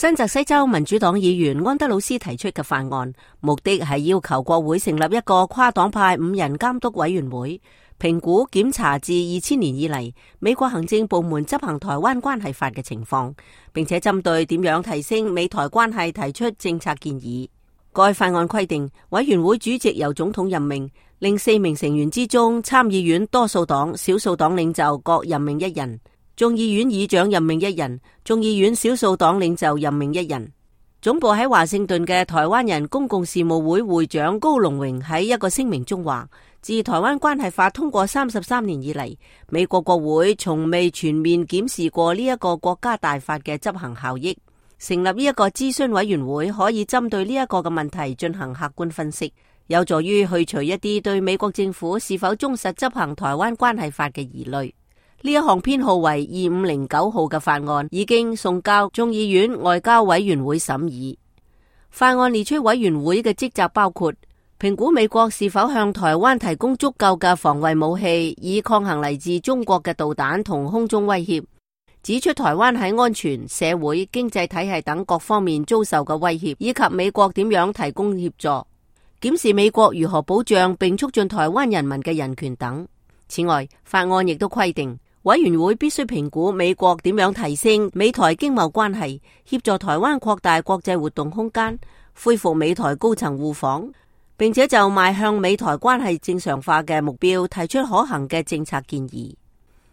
新澤西州民主黨議員安德魯斯提出嘅法案，目的係要求國會成立一個跨黨派5人監督委員會，評估檢查自2000年以嚟美國行政部門執行台灣關係法嘅情況，並且針對點樣提升美台關係提出政策建議。該法案規定，委員會主席由總統任命，令4名成員之中，參議院多數黨、少數黨領袖各任命1人。眾議院議長任命1人，眾議院少數黨領袖任命1人。總部喺華盛頓嘅台灣人公共事務會會長高龍榮喺一個聲明中話，自台灣關係法通過33年以嚟，美國國會從未全面檢視過呢一個國家大法嘅執行效益。成立呢一個諮詢委員會可以針對呢一個嘅問題進行客觀分析，有助於去除一啲對美國政府是否忠實執行台灣關係法嘅疑慮。呢一項編號為2509號嘅法案已經送交眾議院外交委員會審議。法案列出委員會嘅職責包括評估美國是否向台灣提供足夠嘅防衛武器，以抗衡嚟自中國嘅導彈同空中威脅，指出台灣喺安全、社會、經濟體系等各方面遭受嘅威脅，以及美國點樣提供協助，檢視美國如何保障並促進台灣人民嘅人權等。此外，法案亦都規定，委員會必須評估美國點樣提升美台經貿關係，協助台灣擴大國際活動空間，恢復美台高層互訪，並且就邁向美台關係正常化嘅目標提出可行嘅政策建議。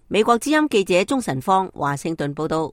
美國之音記者鍾晨芳華盛頓報道。